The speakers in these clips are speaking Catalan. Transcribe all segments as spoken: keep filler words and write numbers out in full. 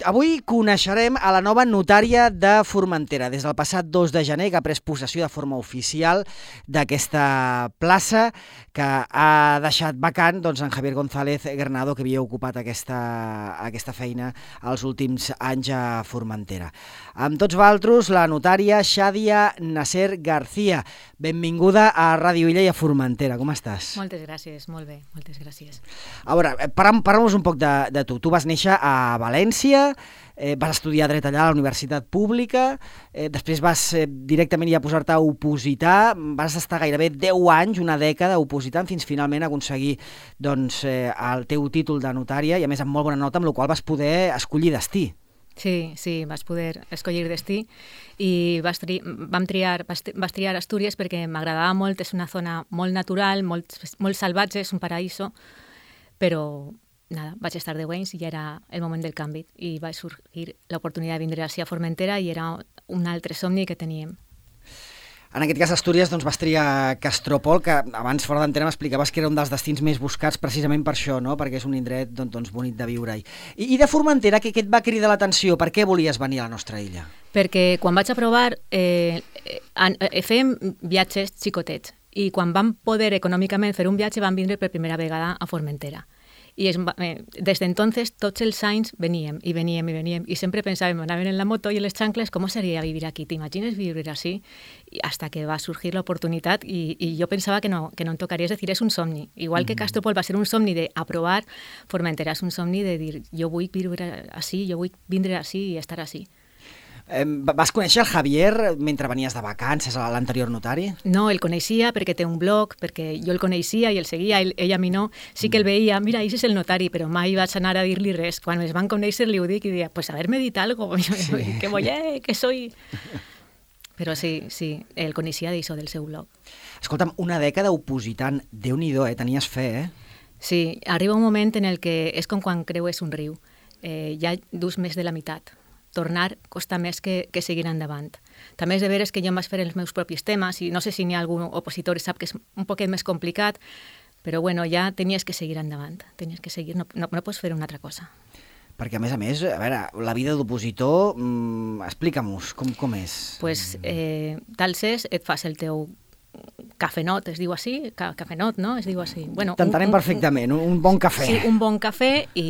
avui coneixerem a la nova notària de Formentera. Des del passat dos de gener, que ha pres possessió de forma oficial d'aquesta plaça que ha deixat vacant doncs, en Javier González Granado, que havia ocupat aquesta, aquesta feina els últims anys a Formentera. Amb tots vosaltres, la notària Xadia Nasser García. Benvinguda a Ràdio Illa i a Formentera. Com estàs? Moltes gràcies, molt bé, moltes gràcies. A veure, parlem-nos un poc de, de tu. Tu vas néixer a València, eh, vas estudiar dret allà a la Universitat Pública, eh, després vas eh, directament ja posar-te a opositar, vas estar gairebé deu anys, una dècada, opositant, fins finalment aconseguir doncs, eh, el teu títol de notària, i a més amb molt bona nota, amb la qual vas poder escollir destí. Sí, sí, vas poder escollir destí i vas, tri vam triar, vas, vas triar Astúries perquè m'agradava molt, és una zona molt natural, molt, molt salvatge, és un paraíso, però nada, vaig estar deu anys i ja era el moment del canvi i va sorgir l'oportunitat de vindre així a Formentera i era un altre somni que teníem. En aquest cas, Astúries, doncs, vas triar Castropol, que abans, fora d'antena, m'explicaves que era un dels destins més buscats precisament per això, no? Perquè és un indret doncs, doncs, bonic de viure-hi. I, I de Formentera, què, què et va cridar l'atenció? Per què volies venir a la nostra illa? Perquè quan vaig aprovar, eh, eh, fèiem viatges xicotets i quan vam poder econòmicament fer un viatge vam vindre per primera vegada a Formentera. I es, eh, des d'entonces tots els anys veníem i veníem i veníem i sempre pensàvem, anàvem en la moto i en les xancles, com seria vivir aquí? T'imagines vivir així? I hasta que va sorgir l'oportunitat i, i jo pensava que no, que no em tocaria, és a dir, és un somni. Igual que Castropol va ser un somni d'aprovar, Formentera és un somni de dir, jo vull viure així, jo vull vindre així i estar així. Eh, vas conèixer el Javier mentre venies de vacances a l'anterior notari? No, el coneixia perquè té un blog, perquè jo el coneixia i el seguia, ell, ell a mi no. Sí que el veia, mira, ell és el notari, però mai vaig anar a dir-li res. Quan es van conèixer li ho dic i deia, pues haver-me dit algo, sí. que voy, eh, que soy... Però sí, sí, el coneixia d'això del seu blog. Escolta'm, una dècada opositant, Déu-n'hi-do, eh? Tenies fe, eh? Sí, arriba un moment en el que és com quan creues un riu. Eh, ja dus més de la meitat. Tornar costa més que, que seguir endavant. També és de veres que jo em vaig fer els meus propis temes i no sé si n'hi ha algun opositor que sap que és un poquet més complicat, però bueno, ja tenies que seguir endavant, tenies que seguir, no, no, no pots fer una altra cosa. Perquè a més a més, a veure, la vida d'opositor, mmm, explica-mos, com, com és? Pues eh, tals és, et fas el teu cafenot, es diu així? Ca cafenot, no? Es diu així. Bueno, T'entenem perfectament, un, un bon cafè. Sí, un bon cafè i,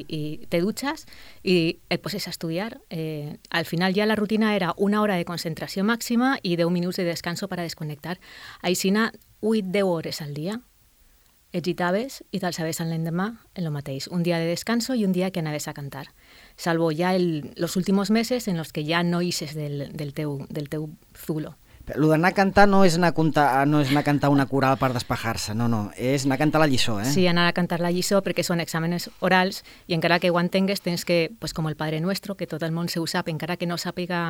i te dutxes i et poses a estudiar. Eh, al final ja la rutina era una hora de concentració màxima i deu minuts de descanso per a desconnectar. Aixina, vuit a deu hores al dia. Egitaves i t'alçaves l'endemà en lo mateix. Un dia de descanso i un dia que anaves a cantar. Salvo ja el, los últimos meses en los que ja no ixes del, del, teu, del teu zulo. Lo d'anar a cantar no és anar a, cantar, no és anar a cantar una coral per despejar-se, no, no, és anar a cantar la lliçó, eh? Sí, anar a cantar la lliçó perquè són exàmenes orals i encara que ho entengues tens que, pues com el Padre Nuestro, que tot el món se ho sap, encara que no sàpiga,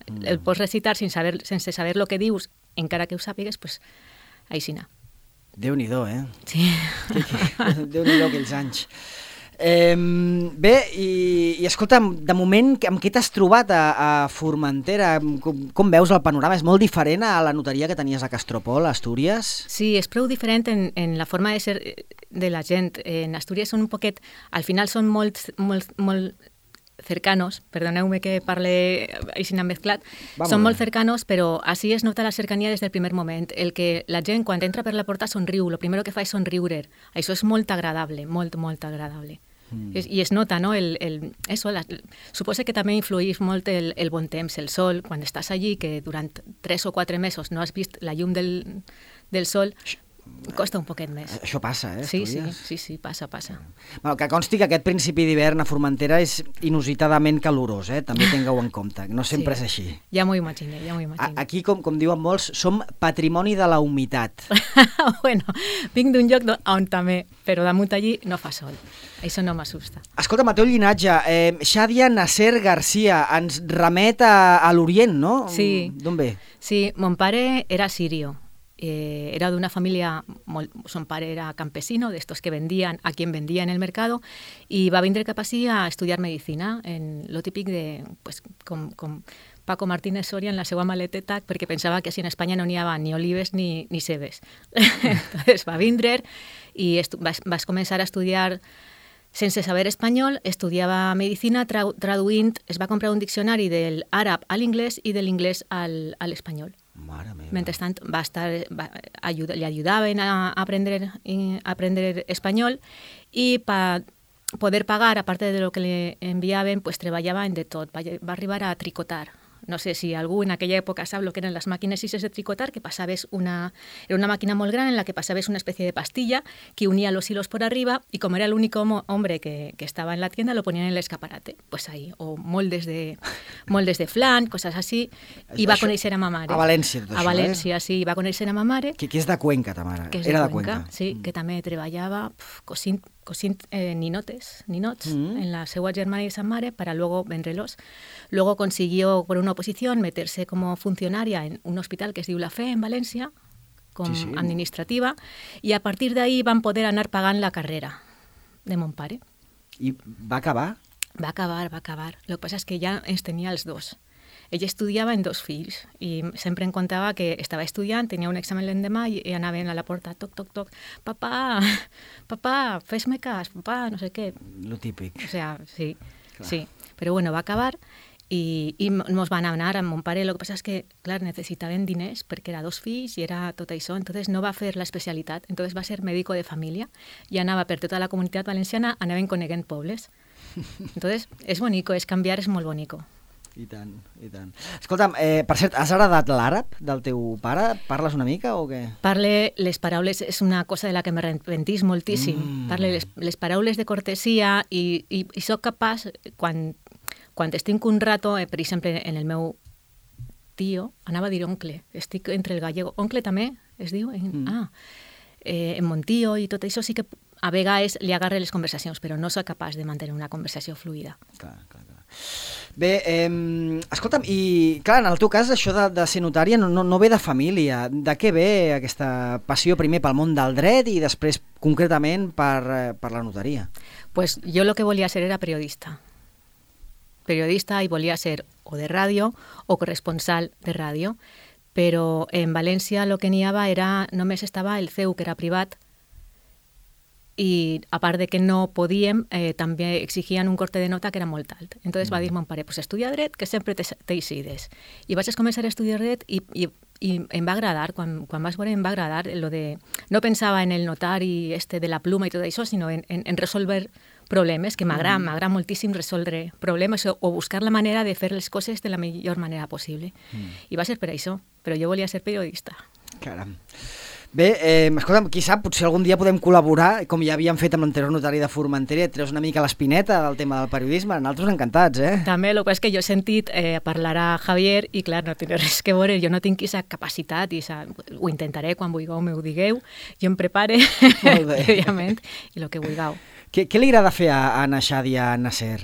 mm. el pots recitar sense saber, sense saber lo que dius, encara que ho sàpigues, pues així anar. Déu-n'hi-do, eh? Sí. Déu-n'hi-do aquells anys. Eh, bé, i, i escolta'm, de moment, amb què t'has trobat a, a Formentera? Com, com veus el panorama? És molt diferent a la notaria que tenies a Castropol, a Astúries? Sí, és prou diferent en, en la forma de ser de la gent. En Astúries són un poquet... Al final són molt, molt, molt cercanos, perdoneu-me que parle així mezclat, Vamos són molt cercanos, però així es nota la cercania des del primer moment. El que la gent, quan entra per la porta, somriu. Lo primero que fa és somriure. Això és molt agradable, molt, molt agradable. Mm. Es, I es nota, no? El, el, eso, la, suposo que també influïx molt el, el bon temps, el sol. Quan estàs allí, que durant tres o quatre mesos no has vist la llum del, del sol, costa un poquet més. Això passa, eh? Sí, sí, sí, sí, passa, passa. Bueno, que consti que aquest principi d'hivern a Formentera és inusitadament calorós, eh? També tingueu en compte, no sempre sí. és així. Ja m'ho imagino, ja m'ho imagino. Aquí, com, com diuen molts, som patrimoni de la humitat. Bueno, vinc d'un lloc on també, però damunt allí no fa sol. Això no m'assusta. Escolta, Mateu Llinatge, eh, Xadia Nasser García, ens remet a, a l'Orient, no? Sí. D'on ve? Sí, mon pare era sirio. Eh, era de una familia, su padre era campesino, de estos que vendían a quien vendía en el mercado, y va a venir cap així a estudiar medicina, en lo típic de, pues, com, com Paco Martínez Soria en la seva maleteta, perquè pensava que així en Espanya no n'hi havia ni olives ni, ni cebes. Entonces va vindre i vas, vas començar a estudiar sense saber espanyol, estudiava medicina tra traduint, es va comprar un diccionari del àrab a l'inglès i de l'inglès al, a l'espanyol. Mare meva. Mentrestant va estar, va, ayuda, li ajudaven a aprendre, a aprendre espanyol i per poder pagar, a part de lo que li enviaven, pues treballava en de tot. Va, va arribar a tricotar. No sé si algú en aquella època sap el que eren les màquines sis de tricotar, que passaves una... Era una màquina molt gran en la que passaves una especie de pastilla que unía los hilos por arriba y como era el único hombre que, que estaba en la tienda, lo ponían en el escaparate. Pues ahí, o moldes de, moldes de flan, cosas así. I va conèixer a ma mare. A València, tot això, A València, eh? Sí. Va conèixer a ma mare. Que, que és de Cuenca, ta mare. Que és era de Cuenca, Cuenca, sí, mm. que també treballava pf, cosint cosint eh, ninotes, ninots mm. en la seva germana y esa mare para luego venderlos. Luego consiguió por una oposición meterse como funcionaria en un hospital que es diu La Fe en València, com sí, sí. administrativa, i a partir d'ahí van poder anar pagant la carrera de mon pare. I va acabar? Va acabar, va acabar. Lo que passa és que ja ens tenia els dos. Ella estudiava en dos fills i sempre em contava que estava estudiant, tenia un examen l'endemà i, i anaven a la porta, toc, toc, toc, papà, papà, fes-me cas, papà, no sé què. Lo típic. O sea, sí, clar. Sí. Però bueno, va acabar i, i mos van anar amb mon pare. Lo que passa és que, clar, necessitaven diners perquè era dos fills i era tot això, entonces no va fer l'especialitat, entonces va ser médico de família i anava per tota la comunitat valenciana, anaven coneguent pobles. Entonces, és bonico, és canviar, és molt bonico. I tant, i tant. Escolta'm, eh, per cert, has heredat l'àrab del teu pare? Parles una mica o què? Parle les paraules, és una cosa de la que m'arrepentís moltíssim. Mm. Parle les, les paraules de cortesia i, i, i soc capaç, quan, quan estic un rato, eh, per exemple, en el meu tio, anava a dir oncle, estic entre el gallego. Oncle també es diu? En, mm. Ah, eh, en mon tio i tot això sí que a vegades li agarre les conversacions, però no soc capaç de mantenir una conversació fluida. Clar, clar, clar. Bé, eh, escolta'm, i clar, en el teu cas això de, de ser notària no, no, no ve de família. De què ve aquesta passió primer pel món del dret i després concretament per, per la notaria? Pues yo lo que volia ser era periodista. Periodista i volia ser o de ràdio o corresponsal de ràdio, però en València lo que n'hi havia era, només estava el C E U, que era privat, i a part de que no podíem, eh, també exigien un corte de nota que era molt alt. Entonces mm. va dir mon pare, pues estudia dret, que sempre t'eixides. I vaig començar a estudiar dret i, i, i em va agradar, quan, quan vas veure em va agradar lo de... No pensava en el notari este de la pluma i tot això, sinó en, en, en resolver problemes, que m'agrada, mm. m'agrada moltíssim resoldre problemes o, o buscar la manera de fer les coses de la millor manera possible. Mm. I va ser per això, però jo volia ser periodista. Caram. Bé, eh, escolta'm, qui sap, potser algun dia podem col·laborar, com ja havíem fet amb l'anterior notari de Formentera, et treus una mica l'espineta del tema del periodisme, nosaltres encantats, eh? També, el que és que jo he sentit eh, parlar a Javier i, clar, no té res que veure, jo no tinc aquesta capacitat i sa... ho intentaré quan vulgueu, m'ho digueu, jo em prepare, òbviament, i el que vulgueu. Què, què li agrada fer a, a Naixàdia Nasser?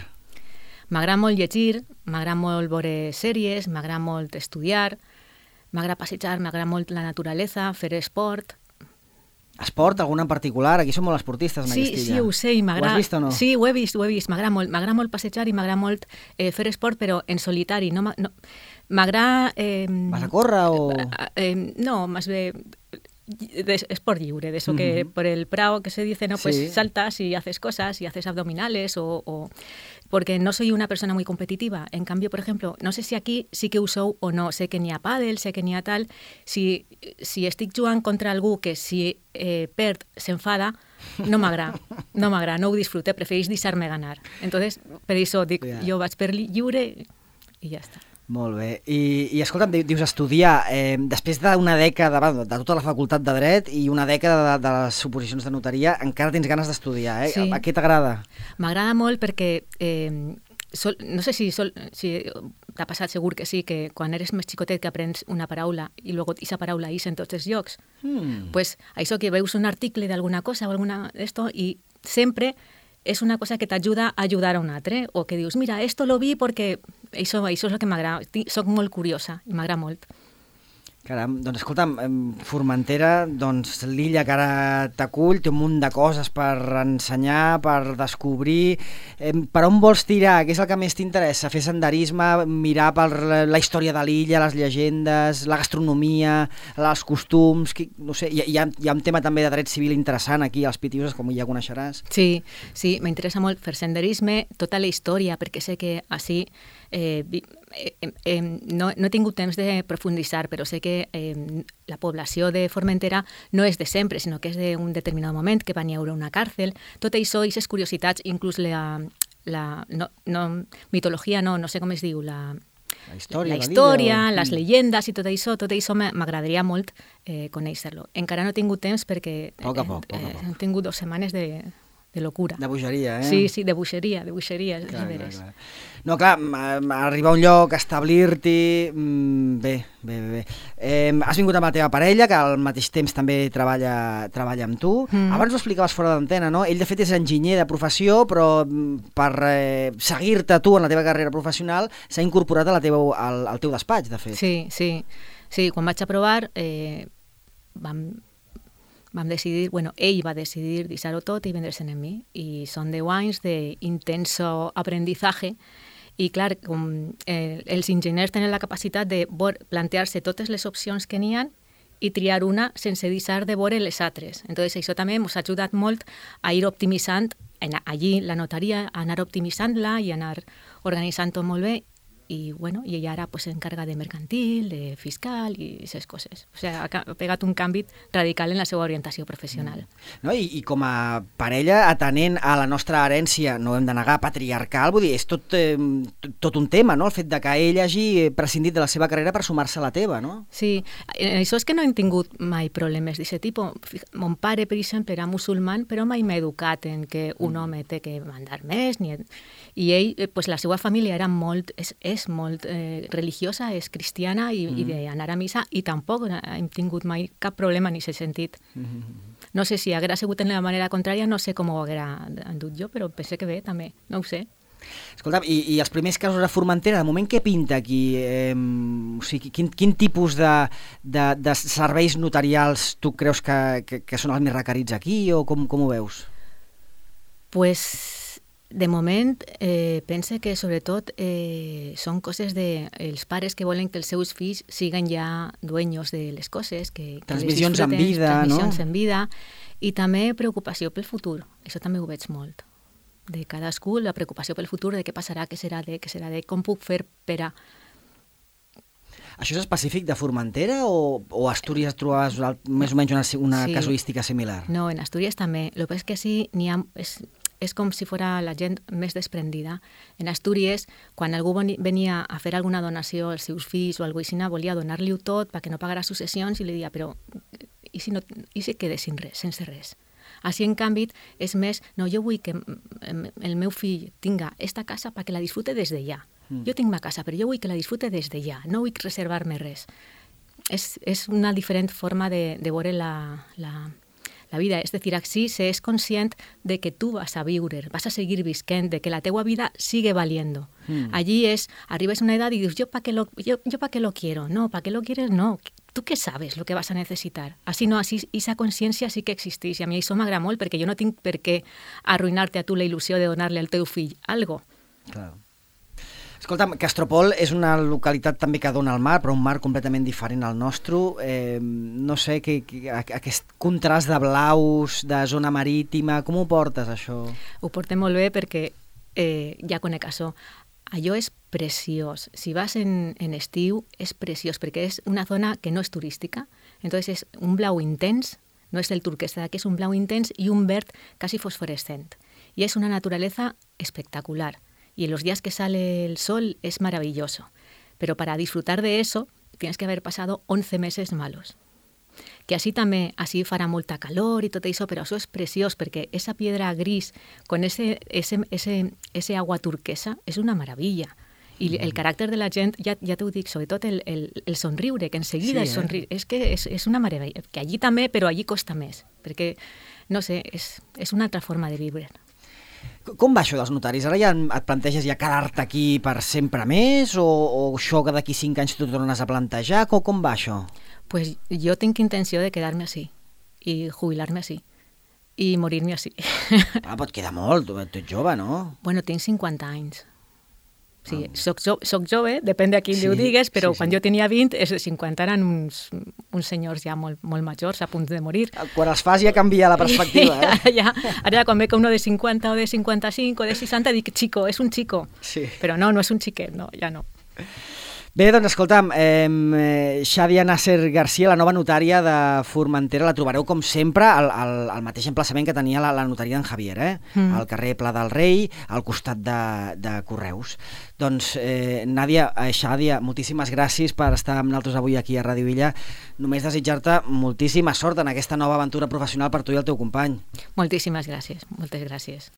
M'agrada molt llegir, m'agrada molt veure sèries, m'agrada molt estudiar, m'agrada passejar, m'agrada molt la naturalesa, fer esport. Esport, alguna en particular? Aquí som molt esportistes, en sí, aquesta illa. Sí, ho sé, i m'agrada... Ho has vist o no? Sí, ho he vist, ho he vist. M'agrada molt, m'agrada molt passejar i m'agrada molt eh, fer esport, però en solitari. No, no, m'agrada... Eh, ¿Vas a córrer o...? Eh, eh, no, más bé... De esport lliure, de eso que uh-huh. por el prado que se dice, no, pues sí. saltas y haces cosas y haces abdominales o, o... Porque no soy una persona muy competitiva. En cambio, por ejemplo, no sé si aquí sí que usou o no, sé que n'hi ha pàdel, sé que n'hi ha tal, si, si estic jugant contra algú que si eh, perd s'enfada, no m'agrada, no m'agrada, no ho disfrute, preferís deixar-me ganar. Entonces, per això dic, yeah. jo vaig per lliure i ja està. Molt bé. I, i escolta'm, dius estudiar, eh, després d'una dècada de, de tota la facultat de dret i una dècada de, de les oposicions de notaria, encara tens ganes d'estudiar, eh? Sí. A, a què t'agrada? M'agrada molt perquè, eh, sol, no sé si, sol, si t'ha passat, segur que sí, que quan eres més xicotet que aprens una paraula i luego aquesta paraula és en tots els llocs, mm. pues això que veus un article d'alguna cosa o alguna d'esto i sempre és una cosa que t'ajuda a ajudar a un altre, o que dius, mira, esto lo vi perquè això, això és el que m'agrada, soc molt curiosa i m'agrada molt. Caram, doncs escolta'm, Formentera, doncs l'illa que ara t'acull, té un munt de coses per ensenyar, per descobrir. Per on vols tirar? Què és el que més t'interessa? Fer senderisme, mirar per la història de l'illa, les llegendes, la gastronomia, els costums, no sé, hi ha, hi ha un tema també de dret civil interessant aquí als Pitiuses, com ja coneixeràs. Sí, sí, m'interessa molt fer senderisme, tota la història, perquè sé que així Eh, eh, eh, no, no he tingut temps de profunditzar, però sé que eh, la població de Formentera no és de sempre, sinó que és d'un determinat moment, que van hi haure una càrcel. Tot això, aquestes curiositats, inclús la, la no, no, mitologia, no, no sé com es diu, la, la història, la història o... les llegendes i tot això, tot això m'agradaria molt eh, conèixer-lo. Encara no he tingut temps perquè poc a poc, poc a eh, poc. he tingut dues setmanes de... de locura. De bogeria, eh? Sí, sí, de bogeria, de bogeria, clar, de clar, clar. No, clar, arribar a un lloc, establir-t'hi... Bé, bé, bé. bé. Eh, has vingut amb la teva parella, que al mateix temps també treballa, treballa amb tu. Mm. Abans ho explicaves fora d'antena, no? Ell, de fet, és enginyer de professió, però per eh, seguir-te tu en la teva carrera professional s'ha incorporat a la teva, al, al teu despatx, de fet. Sí, sí. Sí, quan vaig aprovar eh, vam... vam decidir, bueno, ell va decidir deixar-ho tot i vendre-se'n en mi. I són deu anys d'intenso aprendizaje i, clar, com eh, els enginyers tenen la capacitat de plantear-se totes les opcions que n'hi ha i triar una sense deixar de veure les altres. Entonces, això també ens ha ajudat molt a ir optimitzant, en, allí la notaria, a anar optimitzant-la i anar organitzant-ho molt bé. I, bueno, i ella ara pues, s'encarga de mercantil, de fiscal i aquestes coses. O sigui, ha pegat un canvi radical en la seva orientació professional. No, i, I com a parella, atenent a la nostra herència, no hem de negar, patriarcal, vull dir, és tot, eh, tot un tema, no?, el fet de que ell hagi prescindit de la seva carrera per sumar-se a la teva, no? Sí, això és que no hem tingut mai problemes d'aquest tipus. Mon pare, per exemple, era musulman, però mai m'ha educat en que un home té que mandar més, ni... i ell, pues, la seva família era molt... És, és molt eh, religiosa, és cristiana i, mm. i d'anar a missa, i tampoc hem tingut mai cap problema en aquest sentit. Mm. No sé si haguera sigut en la manera contrària, no sé com ho haguera endut jo, però penso que bé, també, no ho sé. Escolta, i, i els primers casos a Formentera, de moment què pinta aquí? Eh, o sigui, quin, quin tipus de, de, de serveis notarials tu creus que, que, que són els més requerits aquí, o com, com ho veus? Pues... De moment, eh, pense que sobretot eh, són coses de els pares que volen que els seus fills siguin ja dueños de les coses, que, que transmissions en vida, transmissions no? en vida, i també preocupació pel futur. Això també ho veig molt. De cadascú, la preocupació pel futur, de què passarà, què serà de, què serà de, com puc fer per a... Això és específic de Formentera o, o a Astúries trobaves més o menys una, una sí. casuística similar? No, en Astúries també. El que passa és que sí, n'hi ha... És, és com si fos la gent més desprendida. En Astúries, quan algú venia a fer alguna donació als seus fills o alguna cosa, volia donar-li-ho tot perquè no pagara successions i li deia, però i si, no, i si quedes sin res, sense res? Així, en canvi, és més, no, jo vull que el meu fill tinga esta casa perquè la disfrute des de ja. Mm. Jo tinc ma casa, però jo vull que la disfrute des de ja, no vull reservar-me res. És, és una diferent forma de, de veure la... la la vida, és a dir, així s'és conscient de que tu vas a viure, vas a seguir visquent, de que la teua vida sigue valiendo. Mm. Allí és, arribes a una edad y dius, yo para qué lo, yo, yo pa qué lo quiero, no, para qué lo quieres, no, tú qué sabes lo que vas a necesitar. Així no, així, esa consciència sí que existeix, i a mi això m'agrada molt, perquè jo no tinc per què arruïnar-te a tu la il·lusió de donar-li al teu fill algo. Claro. Escolta'm, Castropol és una localitat també que dona al mar, però un mar completament diferent al nostre. Eh, no sé, que, que, aquest contrast de blaus, de zona marítima, com ho portes, això? Ho portem molt bé perquè eh, ja conec això. Allò és preciós. Si vas en, en estiu, és preciós, perquè és una zona que no és turística. Entonces és un blau intens, no és el turquesa d'aquí, és un blau intens i un verd quasi fosforescent. I és una naturaleza espectacular. Y en los días que sale el sol es maravilloso. Pero para disfrutar de eso tienes que haber pasado once meses malos. Que així també, així farà molta calor i tot això, però això és preciós, perquè esa piedra gris con ese, ese, ese, ese agua turquesa és una meravella. I el caràcter de la gent, ja, ja t'ho dic, sobretot el, el, el somriure, que enseguida sí, el somriure, eh? és que és, és una meravella. Que allí també, però allí costa més, perquè, no sé, és, és una altra forma de viure. Com va això dels notaris? Ara ja et planteges ja quedar-te aquí per sempre més o, o això que d'aquí cinc anys t'ho tornes a plantejar? Com, com va això? Pues jo tinc intenció de quedar-me així i jubilar-me així i morir-me així. Ah, però et queda molt, tu ets jove, no? Bueno, tinc cinquanta anys. Sí, ah. soc, jo, soc jove, depèn de qui sí, li ho digues, però sí, quan sí. jo tenia vint, els de cinquanta eren uns, uns senyors ja molt, molt majors, a punt de morir. Quan els fas ja canvia la perspectiva, eh? Ara ja, ara quan veig uno de cinquanta o de cinquanta-cinc o de seixanta dic, chico, és un chico. Sí. Però no, no és un xiquet, no, ja no. Bé, doncs escolta'm, eh, Xadia Nasser Garcia, la nova notària de Formentera, la trobareu com sempre al, al, al mateix emplaçament que tenia la, la notària d'en Javier, eh? Mm. Al carrer Pla del Rei, al costat de, de Correus. Doncs, eh, Nàdia, eh, Xadia, moltíssimes gràcies per estar amb nosaltres avui aquí a Ràdio Illa. Només desitjar-te moltíssima sort en aquesta nova aventura professional per tu i el teu company. Moltíssimes gràcies, moltes gràcies.